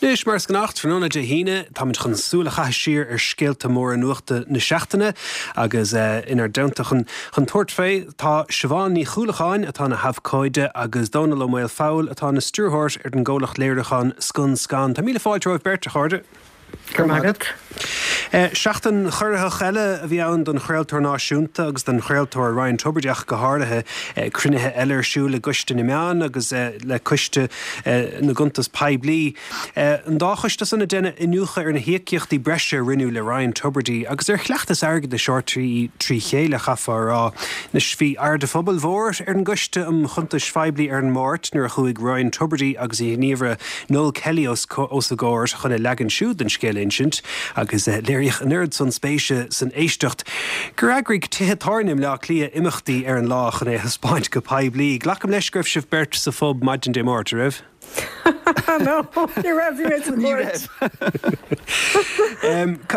Anois, mar is gnách, tráthnóna Dé hAoine, táimid chun súil a chaitheamh siar ar scéalta móra nuachta na seachtaine agus inár dteannta chun tabhairt fé tá Siobhán Ní Chuallacháin, atá ina habhcóide, agus Dónall Ó Maolfabhail, atá ina stiúrthóir ar an gcomhlacht léiriúcháin Scun Scan. Tá míle fáilte romhaibh beirt, a chairde. Go raibh maith agat. Seachtain chorraitheach eile a bhí ann don chraoltóir náisiúnta agus don chraoltóir Ryan Tubridy ach go háirithe. Cruinnithe eile ar siúl i gCoiste na Meán agus le Coiste na gCuntas Poiblí. An dá choiste san ag déanamh iniúchadh ar na híocaíochtaí breise a rinneadh le Ryan Tubridy agus ar chleachtas airgeadais RTÉ trí chéile, chaithfeá a rá. Anois bhí aird an phobail mhóir ar an gCoiste um Chuntais Phoiblí ar an Máirt nuair a chuaigh Ryan Tubridy agus a ghníomhaire Noel Kelly os a gcomhair chun a leagan siúd den scéal a insint agus léiríodh an oiread san spéise san éisteacht gur eagraigh tithe tábhairne i mBleá Cliath imeachtaí ar an lá chun é a thaispeáint go poiblí. Glacaim leis go raibh sibh beirt sa phub maidin Dé Máirt, an raibh? No, ní raibh, bhí mé sa chúirt.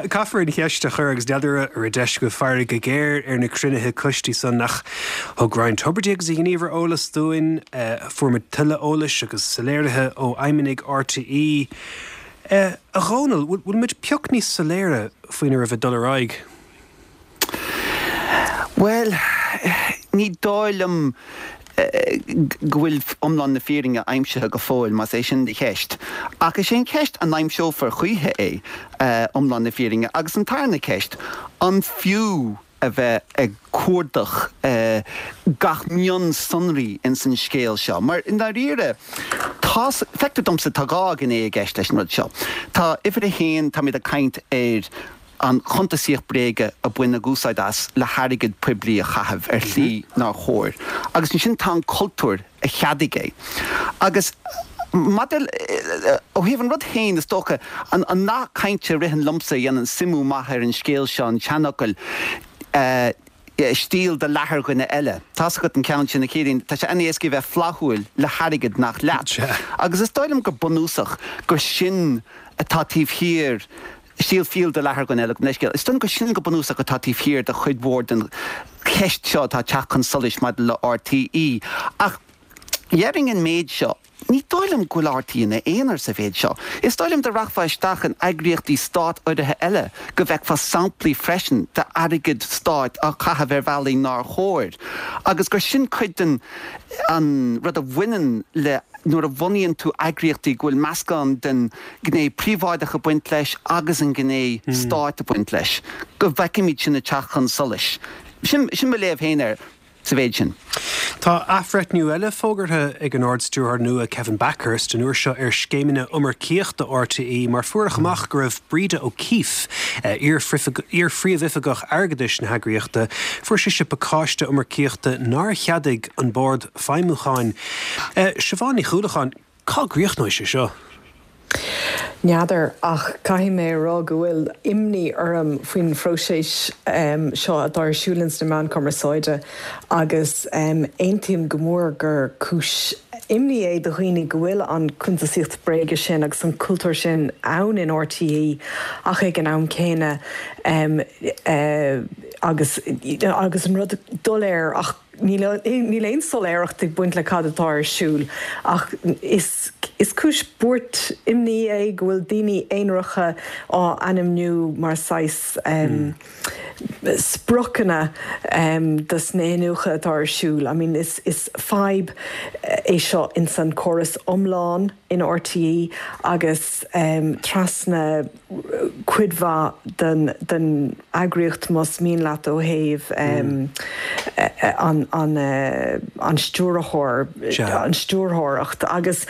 Caithfear an cheist a chur agus n'fheadar an raibh deis agaibh faire go géar ar na cruinnithe coistí san ach thug Ryan Tubridy agus a ghníomhaire eolas dúinn. Fuair muid tuilleadh eolais agus soiléirithe ó fheidhmeannaigh RTÉ. A Dhónaill, bhfuil muid pioc níos soiléire faoina raibh ag dul ar aghaidh? Bhuel, ní dóigh liom go bhfuil iomlán na fírinne aimsithe go fóill, más é sin do cheist. Ach is é an cheist an aimseofar choíche é, iomlán na fírinne? Agus an tarna ceist, an fiú a bheith ag cuardach gach mionsonraí ins an scéal seo, mar i ndáiríre, tá, feictear domsa, tá dhá ghné i gceist leis an rud seo. Tá uimhir a haon, táimid ag caint ar an chuntasaíocht bréige a baineadh úsáid as le hairgead poiblí a chaitheamh ar shlí nár chóir, agus ansin tá an cultúr a cheadaigh é. Agus maidir, ó thaobh an rud féin, is dócha, an nath cainte a ritheann liomsa a dhéanann suimiú maith ar an scéal seo, an seanfhocal, steal do leath ar dhuine eile. Tá's agat an ceann sin, a Chiaráin, tá sé an-éasca a bheith flaithiúil le hairgead nach leat. Agus is dóigh liom go bunúsach gur sin atá taobh thiar Steal fial do leath ar dhuine eile, gabh mo leithscéal. Is dóigh liom gur sin go bunúsach atá taobh thiar de chuid mhór den cheist seo atá ag teacht chun solais maidir le RTÉ. Ach déarfainn an méid seo, ní dóigh liom go bhfuil RTÉ ina aonar sa mhéid seo. Is dóigh liom dá rachfá isteach in eagraíochtaí stát-urraithe eile go bhfeicfeá samplaí freisin d'airgead stáit á chaitheamh ar bhealaí nár chóir agus gur sin cuid den an rud a bhaineann le nuair a bhunaíonn tú eagraíochtaí go bhfuil meascán den ghné príobháideach ag baint leis agus an ghné stáit ag baint leis, go bhfeicfimid sin ag teacht chun solais. Sin mo léamh féin air sa mhéid sin. Tá athbhreithniú eile fógartha ag an Ard-Stiúrthóir nua Kevin Bakhurst, an uair seo ar scéimeanna iomarcaíochta RTÉ mar fuaireadh amach go raibh Breda O'Keeffe, iar-phríomhoifigeach airgeadais na heagraíochta, fuair sise pacáiste iomarcaíochta nár cheadaigh an Bord Feidhmiúcháin. Siobhán Ní Chuallacháin, Cá gcríochnóidh sé seo? N'fheadar, ach caithfidh mé a rá go bhfuil imní orm faoin phróiseas seo atá ar siúl ins na meáin cumarsáide agus aontaím go mór gur cúis imní é do dhaoine go bhfuil an cuntasaíocht bréige sin agus an cultúr sin ann in RTÉ ach ag an am céanna agus agus an rud doiléir ach Níl aon soiléireacht ag baint le cad atá ar siúl ach is is cúis buairt imní é go bhfuil daoine aonaracha á ainmniú mar saghas spriocanna dos na hiniúchadh atá ar siúl. I mean is is fadhb é seo ins an córas iomlán in RTÉ agus trasna cuid mhaith den eagraíocht, más mian leat, ó thaobh an stiúrthóir, an stiúrthóireacht. Agus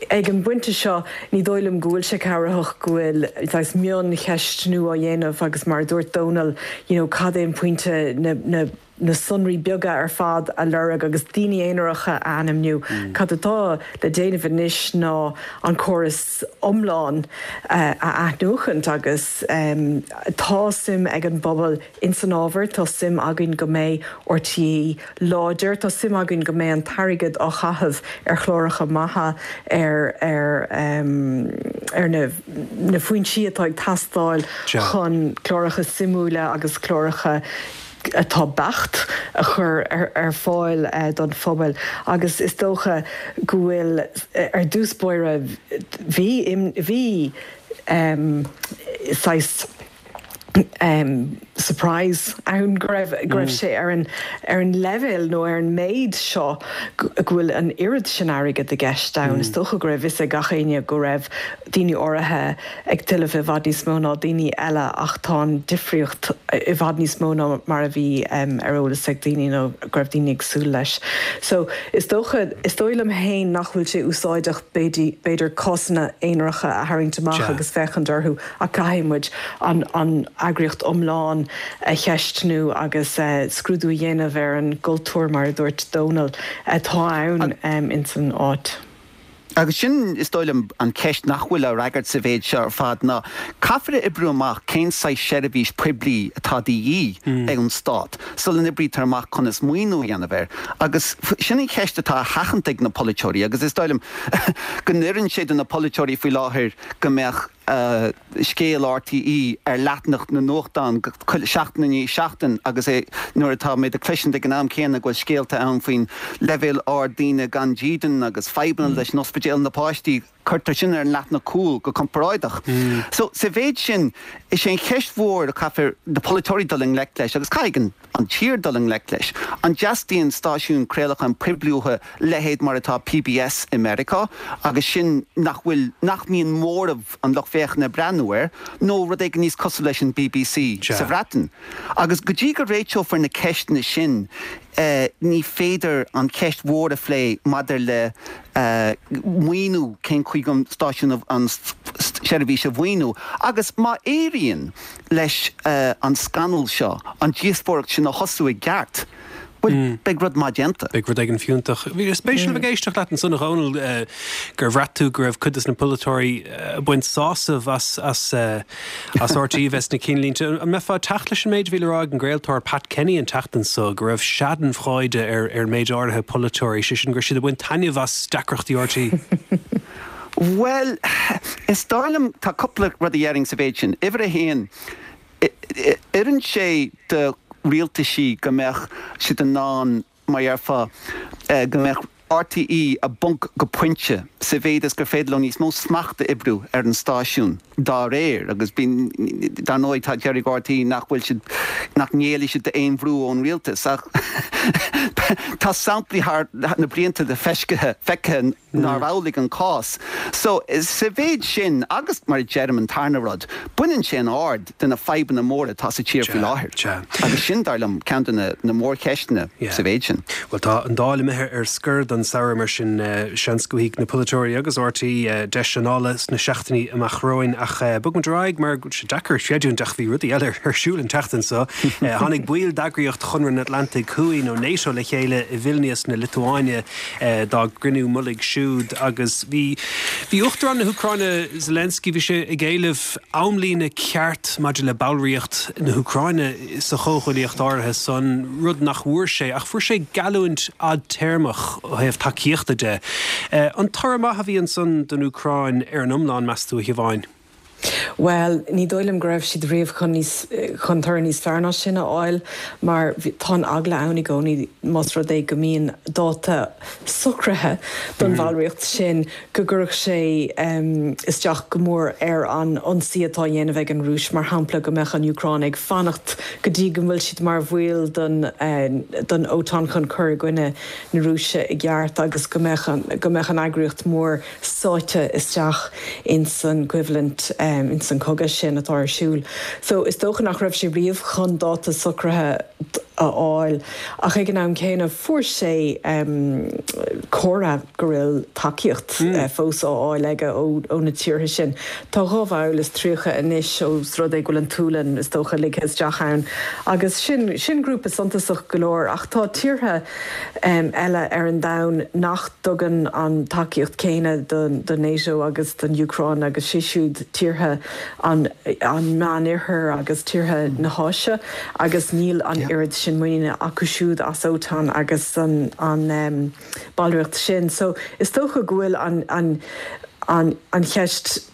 ag an bpointe seo, ní dóigh liom go bhfuil sé cabhraitheach go bhfuil saghas mioncheistniú á dhéanamh agus mar a dúirt Dónal, you know, cad é an pointe na na sonraí beaga ar fad a lorg agus daoine aonaracha a ainmniú. Cad atá le déanamh anois ná an córas iomlán a athnuachaint agus tá suim ag an bpobal ins an ábhar, tá suim againn go mbeidh RTÉ láidir, tá suim againn go mbeidh an t-airgead á chaitheamh ar chláracha maithe, ar ar ar na na foinsí atá ag teastáil chun cláracha suimiúla agus cláracha. atá beacht a chur ar fáil don phobal agus is dócha go bhfuil, ar dtús báire, bhí, bhí saghas surprise ann go raibh, go raibh sé ar an, ar an leibhéal nó ar an méid seo go bhfuil an oiread sin airgid i gceist ann. Is dócha go raibh fhios ag gach éinne go raibh daoine áirithe ag tuilleamh i bhfad níos mó ná daoine eile ach tá an difríocht i bhfad níos mó ná mar a bhí ar eolas ag daoine nó go raibh daoine ag súil leis. So, is dócha, is dóigh liom féin nach bhfuil sé úsáideach b'fhéidir cásanna aonaracha a tharraingt amach agus féachaint orthu ach caithfidh muid an an eagraíocht iomlán a cheistniú agus scrúdú a dhéanamh ar an gcultúr mar a dúirt Dónal atá ann ins an áit. Agus sin, is dóigh liom, an cheist nach bhfuil á fhreagairt sa mhéid seo ar fad, ná caithfear a oibriú amach cén saghas seirbhís poiblí atá de dhíth ag an stát sula n-oibrítear amach conas maoiniú a dhéanamh air. Agus sin an cheist atá á sheachaint ag na polaiteoirí agus is dóigh liom go n-oireann sé do na polaiteoirí faoi láthair go mbeadh scéal RTÉ ar leathanach na nuachtán seachtain i ndiaidh seachtain agus é nuair atá muid ag cloisint ag an am céanna go bhfuil scéalta ann faoin leibhéal ard daoine gan dídean agus fadhbanna leis an ospidéal na páistí, cuirtear sin ar an leathanach cúil go comparáideach. So, sa mhéid sin, is é an cheist mhór a chaithfear na polaiteoirí dul i ngleic leis agus caithfidh an. an tír dul i ngleic leis. An dteastaíonn stáisiún craolacháin poiblí uathu, leithéid mar atá PBS i Meiriceá, agus sin nach bhfuil, nach mbíonn móramh an lucht féachana ag breathnú air, nó rud éigin níos cosúil leis an bbc sa Bhreatain. Agus go dtí go réiteofar na ceisteanna sin, ní féidir an cheist mhór a phlé maidir le maoiniú, cén chaoi an stáisiún, an tseirbhís a mhaoiniú. Agus má éiríonn. leis an scannal seo an díospóireacht sin a thosú i gceart, bhuel, beidh rud maith déanta. Beidh rud éigin fiúntach. Bhí sé spéisiúil a bheith ag éisteacht leat ansan, a Dhónaill, gur bhraith tú go raibh cuid de na polaiteoirí ag baint sásamh as as RTÉ a bheith sna cinnlínte. An mbeifeá ag teacht leis an méid a bhí le rá ag an gcraoltóir Pat Kenny an tseachtain so, go raibh schadenfreude ar ar méid áirithe polaiteoirí, sé sin go raibh siad ag baint taitneamh as deacrachtaí RTÉ? Bhuel, is dóigh liom, tá cúpla rud a dhéarfainn sa mhéid sin. Uimhir a haon, oireann sé do rialtaisí go mbeadh siad in ann, mar dhéarfá, go mbeadh RTÉ i bponc go pointe, sa mhéid is gur féidir leo níos mó smachta a oibriú ar an stáisiún dá réir. Agus bíonn, dar ndóigh, tá, déarfaidh RTÉ nach bhfuil siad, nach ngéillfidh siad d'aon bhrú ón rialtas. Ach tá samplaí thar na blianta de feiscithe, feicthe, nárbh amhlaidh an cás. So, sa mhéid sin, agus mar a deirim, an tarna rud, baineann sé an aird de na fadhbanna móra atá sa tír faoi láthair. Agus sin, dar liom, ceann de na mórcheisteanna sa mhéid sin. Bhuel, tá an Dáil imithe ar scor don samhradh, mar sin seans go bhfaighidh na polaiteoirí agus RTÉ deis anála sna seachtainí amach romhainn. Ach bogfaimid ar aghaidh mar go bhfuil sé deacair creidiúint ach bhí rudaí eile ar siúl an tseachtain seo. Tháinig baill d'eagraíocht Chonradh an Atlantaigh Thuaidh, nó NATO, le chéile i Vilnius na Liotuáine dá gcruinniú mullaigh siúd agus bhí bhí Uachtarán na hÚcráine Zelensky, bhí sé ag éileamh amlíne ceart maidir le ballraíocht na hÚcráine sa chomhghuaillíocht áirithe san, rud nach bhfuair sé, ach fuair sé geallúint fhadtéarmach ó thaobh tacaíochta de. An toradh maith a bhí ansan don Úcráin ar an iomlán, meas tú, a Shiobháin? Bhuel, ní dóigh liom go raibh siad riamh chun níos, chun toradh níos fearr ná sin a fháil mar tá an eagla ann i gcónaí más rud é go mbíonn dáta socraithe don bhallraíocht sin go gcuirfeadh sé isteach go mór ar an ionsaí atá á dhéanamh ag an Rúis, mar shampla go mbeadh an Úcráin ag fanacht go dtí go bhfuil siad mar bhaill den den OTAN chun cur i gcoinne na Rúise i gceart agus go mbeadh an go mbeadh an eagraíocht mhór sáite isteach ins an gcoimhlint, ins an cogadh sin atá ar siúl. So, is dócha nach raibh sé riamh chun dáta socraithe a fháil ach ag an am céanna fuair sé comhartha go bhfuil tacaíocht fós á fháil aige ó na tíortha sin. Tá 32 bhall anois ós rud é go bhfuil an tSualainn, is dócha, ligthe isteach ann agus sin, sin grúpa suntasach go leor ach tá tíortha eile ar an domhan nach dtugann an tacaíocht céanna do NATO agus don Úcráin agus sé siúd tíortha an Meánoirthir agus tíortha na hÁise agus níl an oiread sin muiníne acu siúd as OTAN agus an ballraíocht sin. So is dócha go bhfuil an an cheist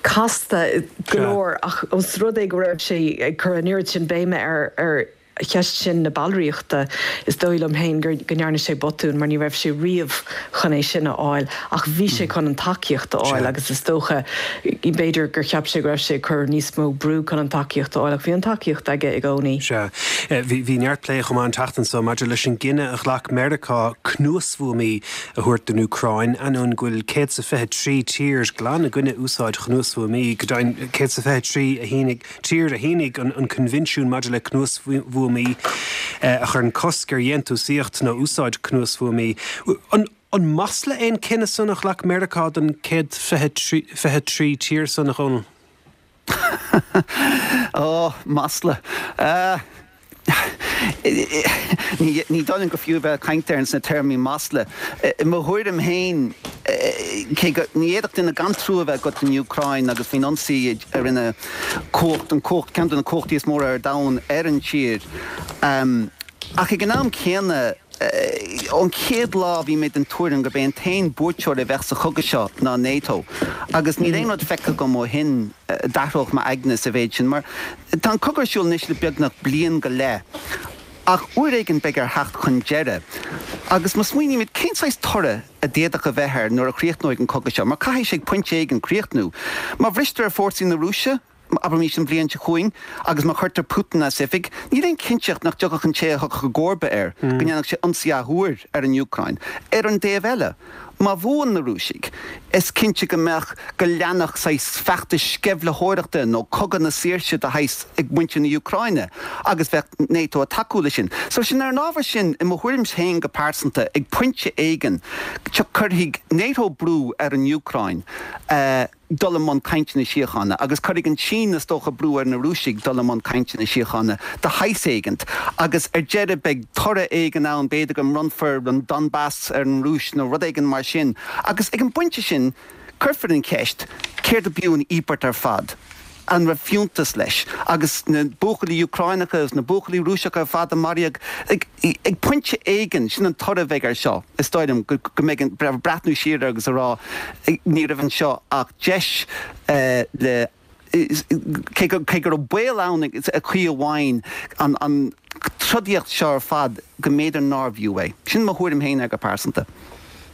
casta go leor ach os rud é go raibh sé ag cur an oiread sin béime ar ar. cheist sin na ballraíochta, is dóigh liom féin go ndearna sé botún mar ní raibh sé riamh chun é sin a fháil ach bhí sé chun an tacaíocht a fháil agus is dócha, b'fhéidir gur cheap sé go raibh sé ag cur níos mó brú chun an tacaíocht a fháil ach bhí an tacaíocht aige i gcónaí. Sea. Bhí neart plé chomh maith an tseachtain seo maidir leis an gcinneadh a ghlac Meiriceá cnuasbhuamaí a thabhairt don Úcráin, ainneoin go bhfuil 123 tír glan i gcoinne úsáid chnuasbhuamaí, go deimhin 123 a shínigh tír a shínigh an Coinbhinsiún maidir le Cnuasbhuamaí a chuireann cosc ar dhéantúsaíocht nó úsáid cnuasbhuamaí. An masla é an cinneadh san a ghlac Meiriceá don 123 tír san, a Dhónaill? Ó, masla. Ní dóigh liom gur fiú a bheith ag caint air sna téarmaí masla. I mo thuairim féin, cé go, ní fhéadfadh duine gan trua a bheith agat don Úcráin agus faoin ionsaí a rinne cumhacht, an cumhacht, ceann de na cumhachtaí is móra ar domhan ar an tír. Ach ag an am céanna, ón chéad lá bhí mé den tuairim gurb é an t-aon buaiteoir a bheadh sa chogadh seo ná NATO. Agus níl aon rud feicthe agam ó shin a d'athródh m'aigne sa mhéid sin. Mar tá an cogadh ar siúl anois le beagnach bliain go leith. Ach uair éigin beidh air theacht chun deireadh. Agus má smaoinímid, cén saghas toradh a d'fhéadfadh a bheith air nuair a chríochnóidh an cogadh seo? Mar caithfidh sé ag pointe éigin críochnú. Má bhristear ar fórsaí na Rúise, abraimis an bhliain seo chugainn, agus má chuirtear Putin as oifig, níl aon chinnteacht nach dtiocfadh an té a thiocfadh i gcomharba air, go ndéanfadh sé ionsaí athuair ar an Úcráin. Ar an dtaobh eile, má bhuann na Rúisigh, is cinnte go mbeadh, go leanfadh saghas feachtais sceimhlitheoireachta nó cogadh na saoirse de shaghas ag muintir na hÚcráine, agus bheadh NATO ag tacú leis sin. So sin, ar an ábhar sin, i mo thuairimse féin go pearsanta, ag pointe éigin, cuirfidh NATO brú ar an Úcráin, dul i mbun cainteanna síochána, agus cuirfidh an tSín, is dócha, brú ar na Rúisigh dul i mbun cainteanna síochána de shaghas éigint, agus ar deireadh beidh toradh éigin ann, b'fhéidir go mbronnfar an Donbas ar an Rúis nó rud éigin mar sin, agus ag an bpointe sin cuirfear an cheist, céard ab fhiú an íobairt ar fad? An raibh fiúntas leis? Agus na buachaillí Úcráineacha agus na buachaillí Rúiseacha ar fad a maraíodh, ag pointe éigin, sin an toradh a bheidh air seo, is dóigh liom, go mbeidh an breathnú siar air agus a rá, ní raibh anseo ach deis le, cé go raibh baol ann i gcaoi amháin, an trodaíocht seo ar fad, go mb'fhéidir nárbh fhiú é. Sin mo thuairim féin air go pearsanta.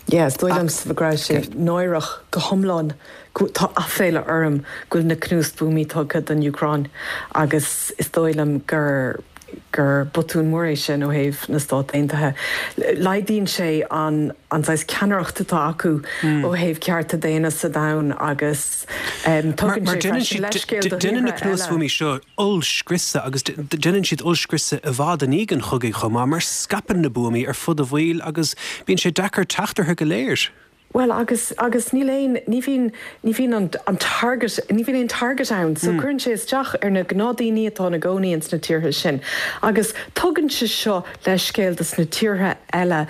Yeah, is dóigh liomsa go raibh sé náireach go hiomlán. Tá aiféala orm go bhfuil na cnuasbhuamaí tugtha don Úcráin agus is dóigh liom gur gur botún mór é sin ó thaobh na Stát Aontaithe. Laghdaíonn sé an an saghas ceannaireacht atá acu ó thaobh cearta daonna sa domhan agus tugann sé freisin leithscéal do thíortha eile. Déanann na cnuasbhuamaí seo ollscriosadh agus déanann siad ollscriosadh i bhfad i ndiaidh an chogaidh chomh maith mar scaipeann na buamaí ar fud an bhaill agus bíonn sé deacair teacht orthu go léir. Bhuel, agus, agus níl aon, ní bhíonn, ní bhíonn an, an target, ní bhíonn aon target ann, so cuireann sé isteach ar na gnáthdaoine atá ina gcónaí ins na tíortha sin. Agus tugann sé seo leithscéal dos na tíortha eile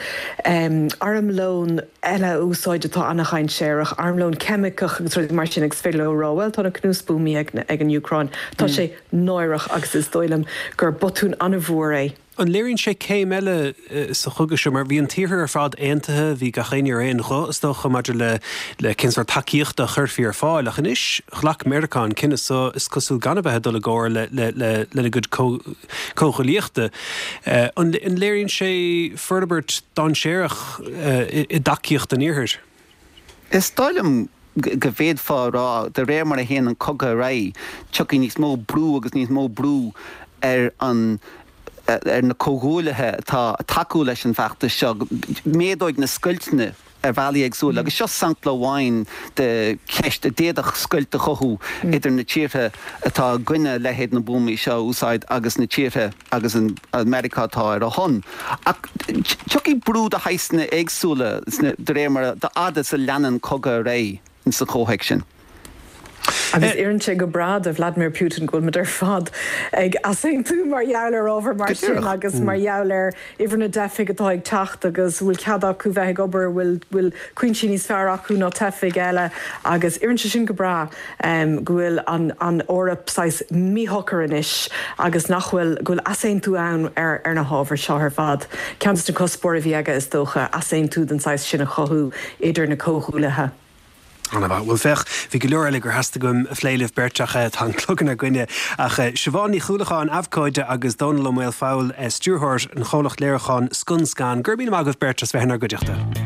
armlón eile a úsáid atá an-dhainséarach, armlón ceimiceach agus rudaí mar sin agus is féidir leo a rá, bhuel, tá na cnuasbhuamaí ag, ag an Úcráin. Tá sé náireach agus is dóigh liom gur botún an-mhór é. An léiríonn sé céim eile sa chogadh seo? Mar bhí an tIarthar ar fad aontaithe, bhí gach éinne ar aon ghuth, is dócha, maidir le le cén sórt tacaíochta a chuirfí ar fáil. Ach anois, ghlac Meiriceá an cinneadh seo, is cosúil, gan a bheith ag dul i gcomhar le le lena gcuid comhghuaillíochta. An léiríonn sé forbairt dainséarach i dtacaíocht an Iarthair? Is dóigh liom go bhféadfá a rá, de réir mar a théann an cogadh ar aghaidh, tiocfaidh níos mó brú agus níos mó brú ar an ar na comhghuaillithe atá ag tacú leis an bhfeachtas seo. Méadóidh na scoilteanna ar bhealaí éagsúla agus seo sampla amháin de cheist a d'fhéadfadh scoilt a chothú idir na tíortha atá i gcoinne leithéid na buamaí seo a úsáid agus na tíortha agus an Meiriceá atá ar a shon. Ach tiocfaidh brú de shaghsanna éagsúla de réir mar a, dá fhad is a leanann an cogadh ar aghaidh sa chomhthéacs sin. Agus oireann sé go breá do Vladimir Putin go bhfuil muid ar fad ag easaontú mar gheall ar ábhar mar sin agus mar gheall ar uimhir na dteifigh atá ag teacht agus an bhfuil cead acu bheith ag obair, an bhfuil cúinsí níos fearr acu ná teifigh eile agus oireann sé sin go breá. go bhfuil an Eoraip saghas míshocair anois agus nach bhfuil, go bhfuil easaontú ann ar na hábhair seo ar fad. Ceann de na cuspóirí a bhí aige, is dócha, easaontú den saghas sin a chothú idir na comhghuaillithe. Ana-mhaith. Bhuel, féach, bhí go leor eile gur theastaigh uaim a phlé libh beirt ach tá an clog inár gcoinne. Ach Siobhán Ní Chuallacháin, abhcóide, agus Dónall Ó Maolfabhail, stiúrthóir an chomhlacht léiriúcháin Scun Scan, go raibh míle maith agaibh beirt as bheith inár gcuideachta.